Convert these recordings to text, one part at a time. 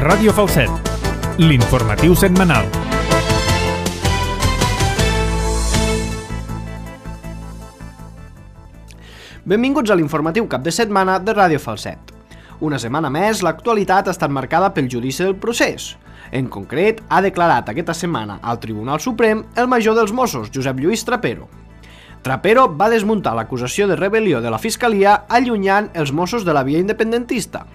Ràdio Falset, l'informatiu setmanal. Benvinguts a l'informatiu cap de setmana de Ràdio Falset. Una setmana més, l'actualitat ha estat marcada pel judici del procés. En concret, ha declarat aquesta setmana al Tribunal Suprem el major dels Mossos, Josep Lluís Trapero. Trapero va desmuntar l'acusació de rebel·lió de la Fiscalia allunyant els Mossos de la via independentista.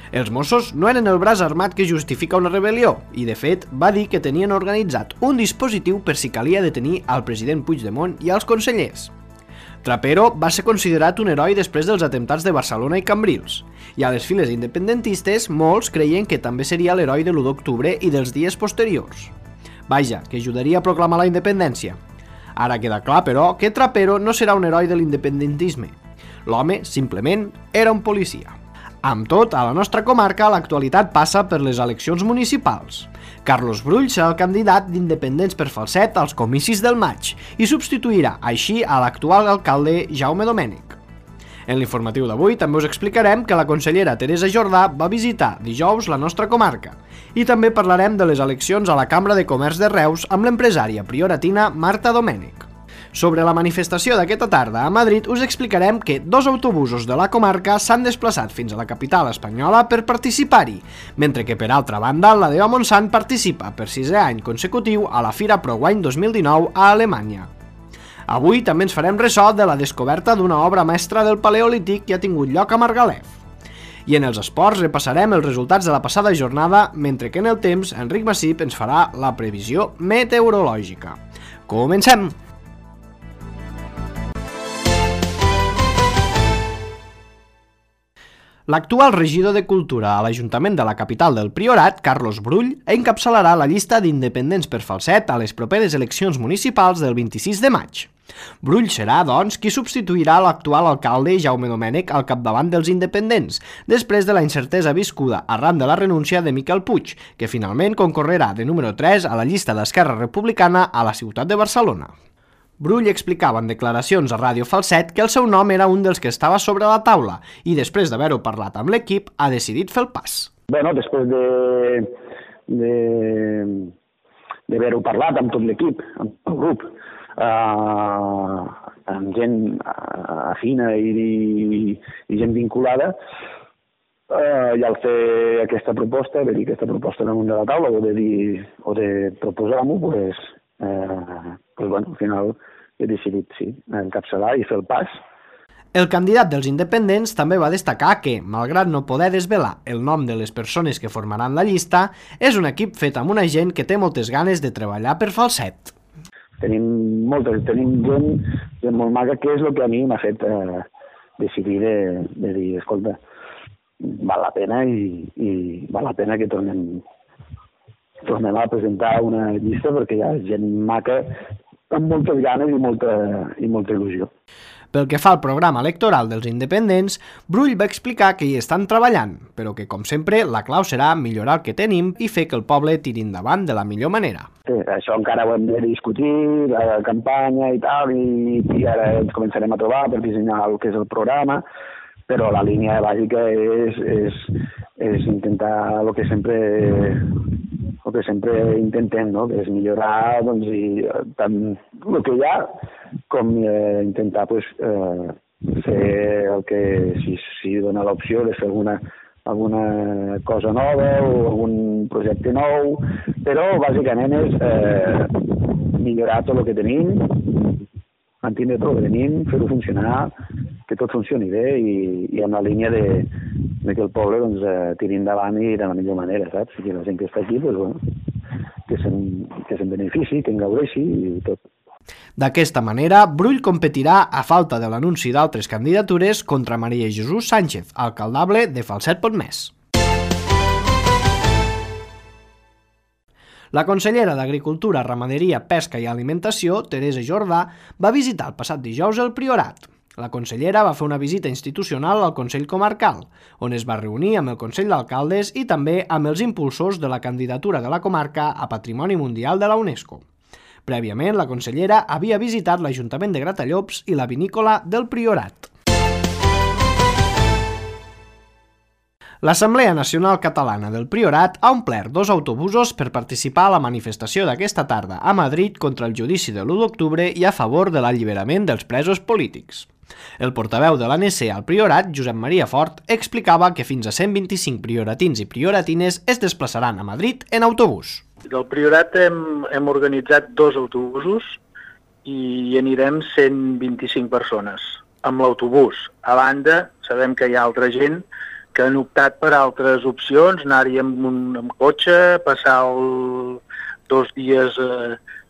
Els Mossos no eren el braç armat que justifica una rebel·lió i, de fet, va dir que tenien organitzat un dispositiu per si calia detenir al president Puigdemont i als consellers. Trapero va ser considerat un heroi després dels atemptats de Barcelona i Cambrils, i a les files independentistes molts creien que també seria l'heroi de l'1 d'octubre i dels dies posteriors. Vaja, que ajudaria a proclamar la independència. Ara queda clar, però, que Trapero no serà un heroi de l'independentisme. L'home, simplement, era un policia. Amb tot, a la nostra comarca l'actualitat passa per les eleccions municipals. Carlos Brull serà el candidat d'Independents per Falset als comicis del maig i substituirà així a l'actual alcalde Jaume Domènech. En l'informatiu d'avui també us explicarem que la consellera Teresa Jordà va visitar dijous la nostra comarca i també parlarem de les eleccions a la Cambra de Comerç de Reus amb l'empresària prioratina Marta Domènech. Sobre la manifestació d'aquesta tarda a Madrid us explicarem que 2 autobusos de la comarca s'han desplaçat fins a la capital espanyola per participar-hi, mentre que per altra banda la DEO Montsant participa per 6è any consecutiu a la Fira ProWine 2019 a Alemanya. Avui també ens farem ressò de la descoberta d'una obra mestra del Paleolític que ha tingut lloc a Margalef. I en els esports repassarem els resultats de la passada jornada, mentre que en el temps Enric Massip ens farà la previsió meteorològica. Comencem! L'actual regidor de Cultura a l'Ajuntament de la capital del Priorat, Carlos Brull, encapçalarà la llista d'Independents per Falset a les properes eleccions municipals del 26 de maig. Brull serà, doncs, qui substituirà l'actual alcalde Jaume Domènech al capdavant dels independents, després de la incertesa viscuda arran de la renúncia de Miquel Puig, que finalment concorrerà de número 3 a la llista d'Esquerra Republicana a la ciutat de Barcelona. Brull explicava en declaracions a Ràdio Falset que el seu nom era un dels que estava sobre la taula i després d'haver-ho parlat amb l'equip ha decidit fer el pas. Bueno, després d'haver-ho parlat amb tot l'equip, amb el grup, amb gent afina i gent vinculada, i al fer aquesta proposta, de dir aquesta proposta damunt de la taula o de proposar-m'ho, al final he decidit, sí, encapçalar i fer el pas. El candidat dels independents també va destacar que, malgrat no poder desvelar el nom de les persones que formaran la llista, és un equip fet amb una gent que té moltes ganes de treballar per Falset. Tenim gent molt maca, que és el que a mi m'ha fet decidir de dir, escolta, val la pena i val la pena que tornem a presentar una llista perquè hi ha gent maca amb moltes ganes i molta il·lusió. Pel que fa al programa electoral dels independents, Brull va explicar que hi estan treballant, però que, com sempre, la clau serà millorar el que tenim i fer que el poble tiri endavant de la millor manera. Sí, això encara ho hem de discutir, la campanya i tal, i ara ens començarem a trobar per dissenyar el que és el programa, però la línia bàsica és intentar el que sempre intentem, no? Que és millorar tant el que hi ha com intentar fer el que, si dona l'opció de fer alguna cosa nova o algun projecte nou, però bàsicament és millorar tot el que tenim, mantenir tot el que tenim, fer-ho funcionar, que tot funcioni bé i en la línia de que el poble tiri endavant i de la millor manera, saps? I que la gent que està aquí, que se'n benefici, que en gaudeixi i tot. D'aquesta manera, Brull competirà, a falta de l'anunci d'altres candidatures, contra Maria Jesús Sánchez, alcaldable de Falset Pontmès. La consellera d'Agricultura, Ramaderia, Pesca i Alimentació, Teresa Jordà, va visitar el passat dijous el Priorat. La consellera va fer una visita institucional al Consell Comarcal, on es va reunir amb el Consell d'Alcaldes i també amb els impulsors de la candidatura de la comarca a Patrimoni Mundial de la UNESCO. Prèviament, la consellera havia visitat l'Ajuntament de Gratallops i la vinícola del Priorat. L'Assemblea Nacional Catalana del Priorat ha omplert 2 autobusos per participar a la manifestació d'aquesta tarda a Madrid contra el judici de l'1 d'octubre i a favor de l'alliberament dels presos polítics. El portaveu de l'ANC al Priorat, Josep Maria Fort, explicava que fins a 125 prioratins i prioratines es desplaçaran a Madrid en autobús. Del Priorat hem organitzat 2 autobusos i anirem 125 persones amb l'autobús. A banda, sabem que hi ha altra gent que han optat per altres opcions, anar-hi amb cotxe, passar 2 dies,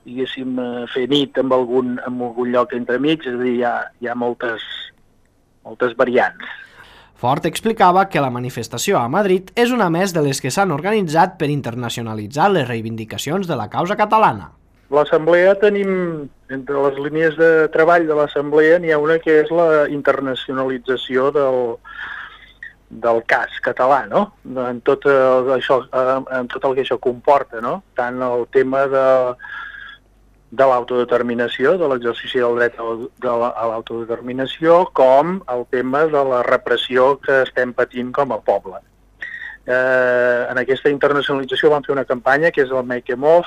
diguéssim, fer nit en algun lloc entremig, és a dir, hi ha moltes variants. Fort explicava que la manifestació a Madrid és una més de les que s'han organitzat per internacionalitzar les reivindicacions de la causa catalana. L'Assemblea tenim, entre les línies de treball de l'Assemblea, n'hi ha una que és la internacionalització del cas català, no? En tot el que això comporta, no? Tant el tema de l'autodeterminació, de l'exercici del dret a l'autodeterminació, com el tema de la repressió que estem patint com a poble. En aquesta internacionalització vam fer una campanya que és el Make Em Off.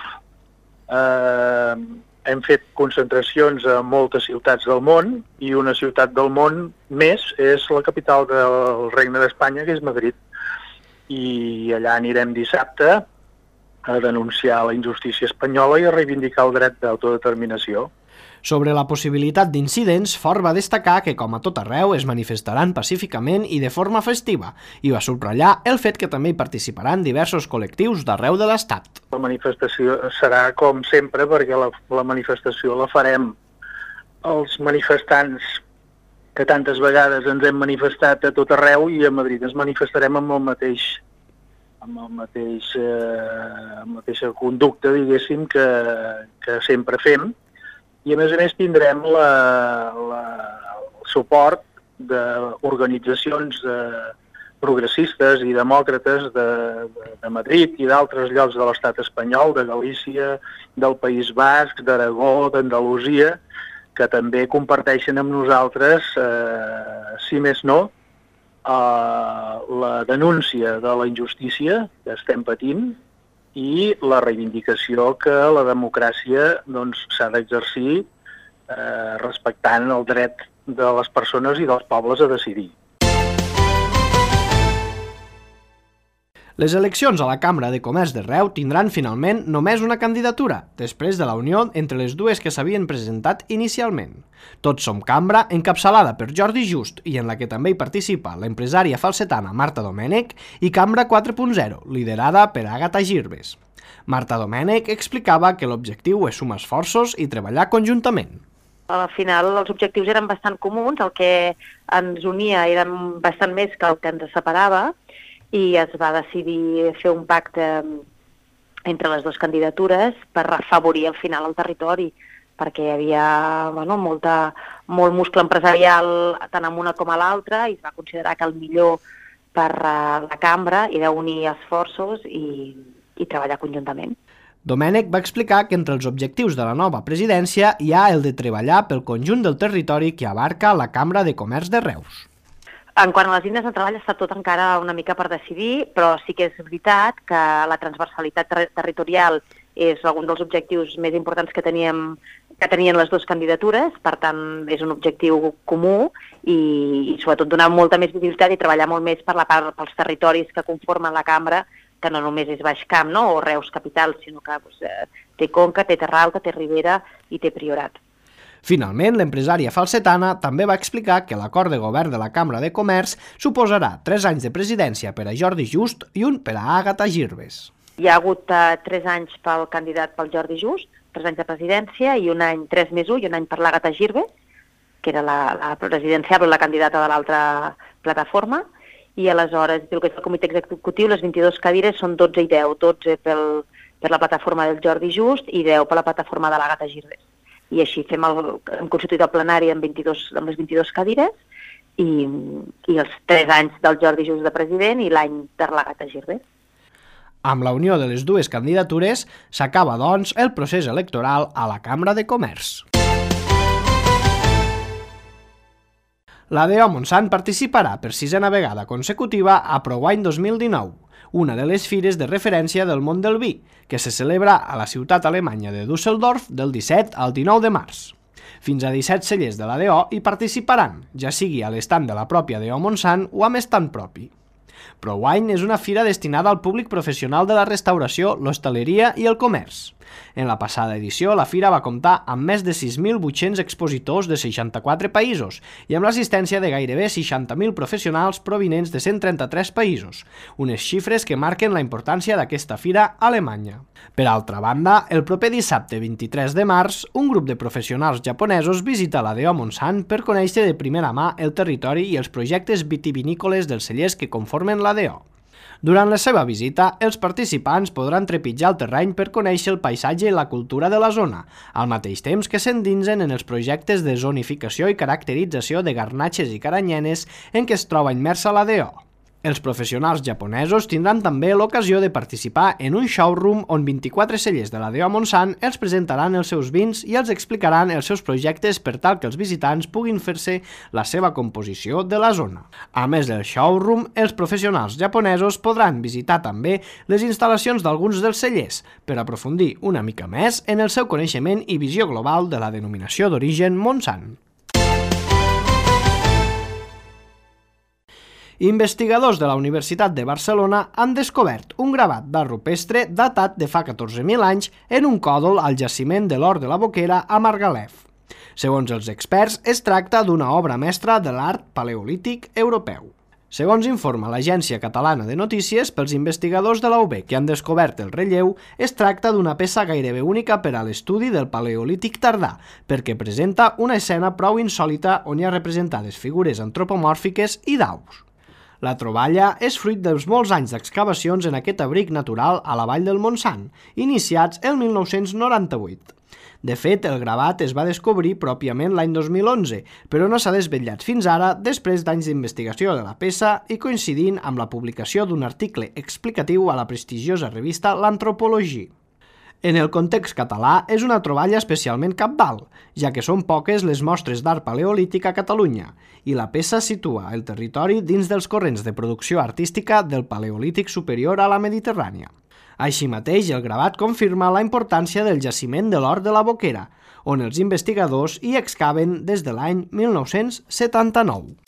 Hem fet concentracions a moltes ciutats del món i una ciutat del món més és la capital del Regne d'Espanya, que és Madrid. I allà anirem dissabte a denunciar la injustícia espanyola i a reivindicar el dret d'autodeterminació. Sobre la possibilitat d'incidents, Fort va destacar que, com a tot arreu, es manifestaran pacíficament i de forma festiva, i va subratllar el fet que també hi participaran diversos col·lectius d'arreu de l'Estat. La manifestació serà com sempre, perquè la manifestació la farem els manifestants que tantes vegades ens hem manifestat a tot arreu, i a Madrid ens manifestarem amb la mateixa conducta, diguéssim, que sempre fem. I a més tindrem el suport d'organitzacions progressistes i demòcrates de Madrid i d'altres llocs de l'estat espanyol, de Galícia, del País Basc, d'Aragó, d'Andalusia, que també comparteixen amb nosaltres, si més no, la denúncia de la injustícia que estem patint i la reivindicació que la democràcia s'ha d'exercir respectant el dret de les persones i dels pobles a decidir. Les eleccions a la Cambra de Comerç de Reus tindran finalment només una candidatura, després de la unió entre les dues que s'havien presentat inicialment. Tots som Cambra, encapçalada per Jordi Just i en la que també hi participa l'empresària falsetana Marta Domènech, i Cambra 4.0, liderada per Àgata Girbes. Marta Domènech explicava que l'objectiu és sumar esforços i treballar conjuntament. Al final els objectius eren bastant comuns, el que ens unia eren bastant més que el que ens separava, i es va decidir fer un pacte entre les dues candidatures per afavorir al final el territori, perquè hi havia molt muscle empresarial tant en una com a l'altra, i es va considerar que el millor per la cambra era unir esforços i treballar conjuntament. Domènech va explicar que entre els objectius de la nova presidència hi ha el de treballar pel conjunt del territori que abarca la Cambra de Comerç de Reus. En quant a les línies de treball està tot encara una mica per decidir, però sí que és veritat que la transversalitat territorial és un dels objectius més importants que tenien les dues candidatures, per tant és un objectiu comú i sobretot donar molta més visibilitat i treballar molt més per la part pels territoris que conformen la cambra, que no només és Baix Camp o Reus capital, sinó que té Conca, té Terra Alta, té Ribera i té Priorat. Finalment, l'empresària falsetana també va explicar que l'acord de govern de la Cambra de Comerç suposarà 3 anys de presidència per a Jordi Just i un per a Àgata Girbes. Hi ha hagut 3 anys pel candidat pel Jordi Just, 3 anys de presidència, i un any 3+1 i un any per l'Àgata Girbes, que era la presidenciable, la candidata de l'altra plataforma, i aleshores, el que és el comitè executiu, les 22 cadires són 12 i 10, 12 per la plataforma del Jordi Just i 10 per la plataforma de l'Àgata Girbes. I així hem constituït el plenari amb les 22 cadires i els 3 anys del Jordi Just de president i l'any de l'Àgata Girbes. Amb la unió de les dues candidatures s'acaba, doncs, el procés electoral a la Cambra de Comerç. La DO Montsant participarà per 6a vegada consecutiva a ProWine 2019, una de les fires de referència del món del vi, que se celebra a la ciutat alemanya de Düsseldorf del 17 al 19 de març. Fins a 17 cellers de la DO hi participaran, ja sigui a l'estand de la pròpia DO Montsant o amb estand propi. ProWine és una fira destinada al públic professional de la restauració, l'hostaleria i el comerç. En la passada edició, la fira va comptar amb més de 6.800 expositors de 64 països i amb l'assistència de gairebé 60.000 professionals provinents de 133 països, unes xifres que marquen la importància d'aquesta fira a Alemanya. Per altra banda, el proper dissabte 23 de març, un grup de professionals japonesos visita la DO Montsant per conèixer de primera mà el territori i els projectes vitivinícoles dels cellers que conformen la DO. Durant la seva visita, els participants podran trepitjar el terreny per conèixer el paisatge i la cultura de la zona, al mateix temps que s'endinsen en els projectes de zonificació i caracterització de garnatxes i caranyenes en què es troba immersa la DO. Els professionals japonesos tindran també l'ocasió de participar en un showroom on 24 cellers de la DO Montsant els presentaran els seus vins i els explicaran els seus projectes per tal que els visitants puguin fer-se la seva composició de la zona. A més del showroom, els professionals japonesos podran visitar també les instal·lacions d'alguns dels cellers per aprofundir una mica més en el seu coneixement i visió global de la denominació d'origen Montsant. Investigadors de la Universitat de Barcelona han descobert un gravat d'art rupestre datat de fa 14.000 anys en un còdol al jaciment de l'Hort de la Boquera a Margalef. Segons els experts, es tracta d'una obra mestra de l'art paleolític europeu. Segons informa l'Agència Catalana de Notícies, pels investigadors de la UB que han descobert el relleu, es tracta d'una peça gairebé única per a l'estudi del paleolític tardà, perquè presenta una escena prou insòlita on hi ha representades figures antropomòrfiques i d'aus. La troballa és fruit dels molts anys d'excavacions en aquest abric natural a la vall del Montsant, iniciats el 1998. De fet, el gravat es va descobrir pròpiament l'any 2011, però no s'ha desvetllat fins ara després d'anys d'investigació de la peça i coincidint amb la publicació d'un article explicatiu a la prestigiosa revista L'Antropologie. En el context català és una troballa especialment cabdal, ja que són poques les mostres d'art paleolític a Catalunya, i la peça situa el territori dins dels corrents de producció artística del Paleolític superior a la Mediterrània. Així mateix, el gravat confirma la importància del jaciment de l'Hort de la Boquera, on els investigadors hi excaven des de l'any 1979.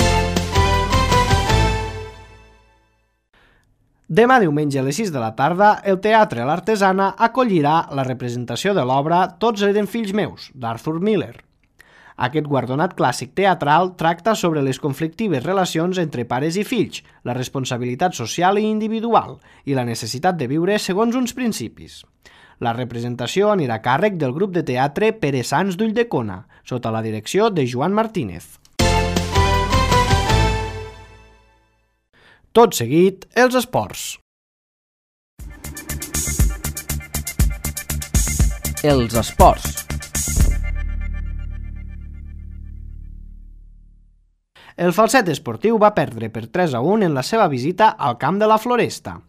Demà diumenge a les 6 de la tarda, el Teatre L'Artesana acollirà la representació de l'obra Tots eren fills meus, d'Arthur Miller. Aquest guardonat clàssic teatral tracta sobre les conflictives relacions entre pares i fills, la responsabilitat social i individual i la necessitat de viure segons uns principis. La representació anirà a càrrec del grup de teatre Pere Sans d'Ulldecona, sota la direcció de Joan Martínez. Tot seguit, els esports. Els esports. El Falset esportiu va perdre per 3-1 en la seva visita al camp de la Floresta.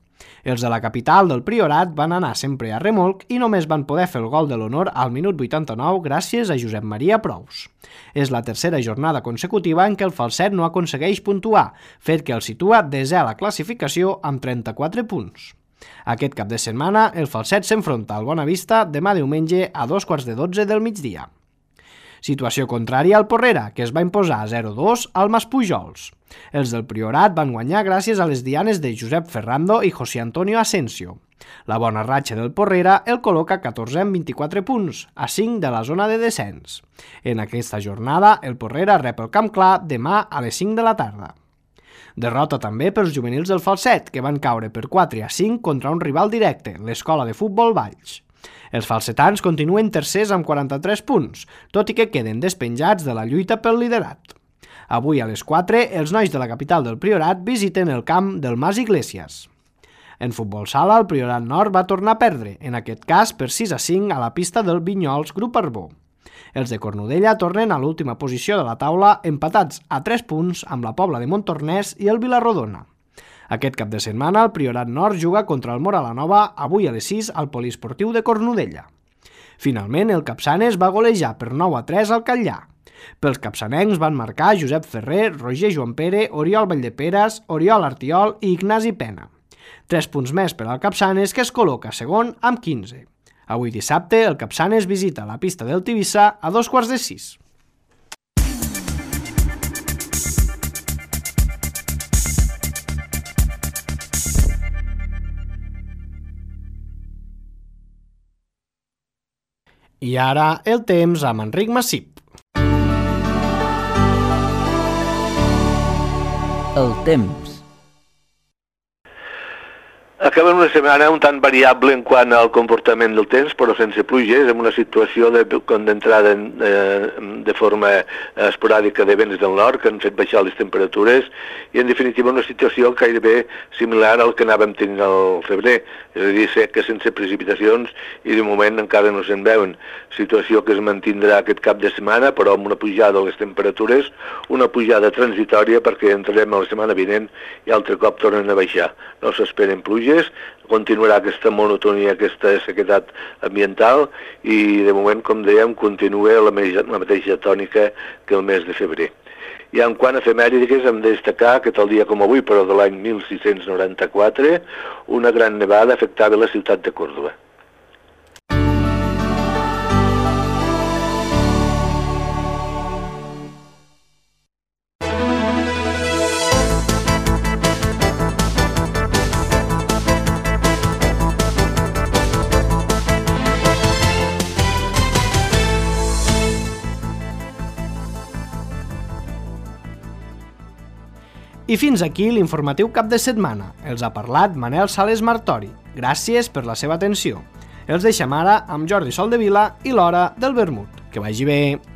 Els de la capital del Priorat van anar sempre a remolc i només van poder fer el gol de l'honor al minut 89 gràcies a Josep Maria Prous. És la tercera jornada consecutiva en què el Falset no aconsegueix puntuar, fet que el situa desè a la classificació amb 34 punts. Aquest cap de setmana, el Falset s'enfronta al Bonavista demà diumenge a 2:15 del migdia. Situació contrària al Porrera, que es va imposar 0-2 al Maspujols. Els del Priorat van guanyar gràcies a les dianes de Josep Ferrando i José Antonio Asensio. La bona ratxa del Porrera el col·loca 14 amb 24 punts, a 5 de la zona de descens. En aquesta jornada, el Porrera rep el Camp Clar demà a les 5 de la tarda. Derrota també pels juvenils del Falset, que van caure per 4-5 contra un rival directe, l'Escola de Futbol Valls. Els falsetans continuen tercers amb 43 punts, tot i que queden despenjats de la lluita pel liderat. Avui a les 4, els nois de la capital del Priorat visiten el camp del Mas Iglesias. En futbol sala, el Priorat Nord va tornar a perdre, en aquest cas per 6-5 a la pista del Vinyols Grup Arbó. Els de Cornudella tornen a l'última posició de la taula, empatats a 3 punts amb la Pobla de Montornès i el Vilarrodona. Aquest cap de setmana, el Priorat Nord juga contra el Moralanova avui a les 6 al Poliesportiu de Cornudella. Finalment, el Capçanes va golejar per 9-3 al Catllà. Pels capçanencs van marcar Josep Ferrer, Roger Joan Pere, Oriol Valldeperes, Oriol Artiol i Ignasi Pena. 3 punts més per al Capçanes, que es col·loca segon amb 15. Avui dissabte, el Capçanes visita la pista del Tivissa a 5:45. I ara el temps amb Enric Massip. El temps. Acabem una setmana un tant variable en quant al comportament del temps, però sense pluges, amb una situació d'entrada de forma esporàdica de vents del nord que han fet baixar les temperatures i, en definitiva, una situació gairebé similar al que anàvem tenint al febrer, és a dir, seca sense precipitacions i, de moment, encara no se'n veuen. Situació que es mantindrà aquest cap de setmana, però amb una pujada de les temperatures, una pujada transitòria perquè entrarem a la setmana vinent i altre cop tornen a baixar. No s'esperen pluges, continuarà aquesta monotonia, aquesta sequedat ambiental i, de moment, com dèiem, continua la mateixa tònica que el mes de febrer. I en quant a efemèrides, hem de destacar que tal dia com avui, però de l'any 1694, una gran nevada afectava la ciutat de Còrdova. I fins aquí l'informatiu cap de setmana. Els ha parlat Manel Sales Martori. Gràcies per la seva atenció. Els deixem ara amb Jordi Soldevila i l'Hora del Vermut. Que vagi bé!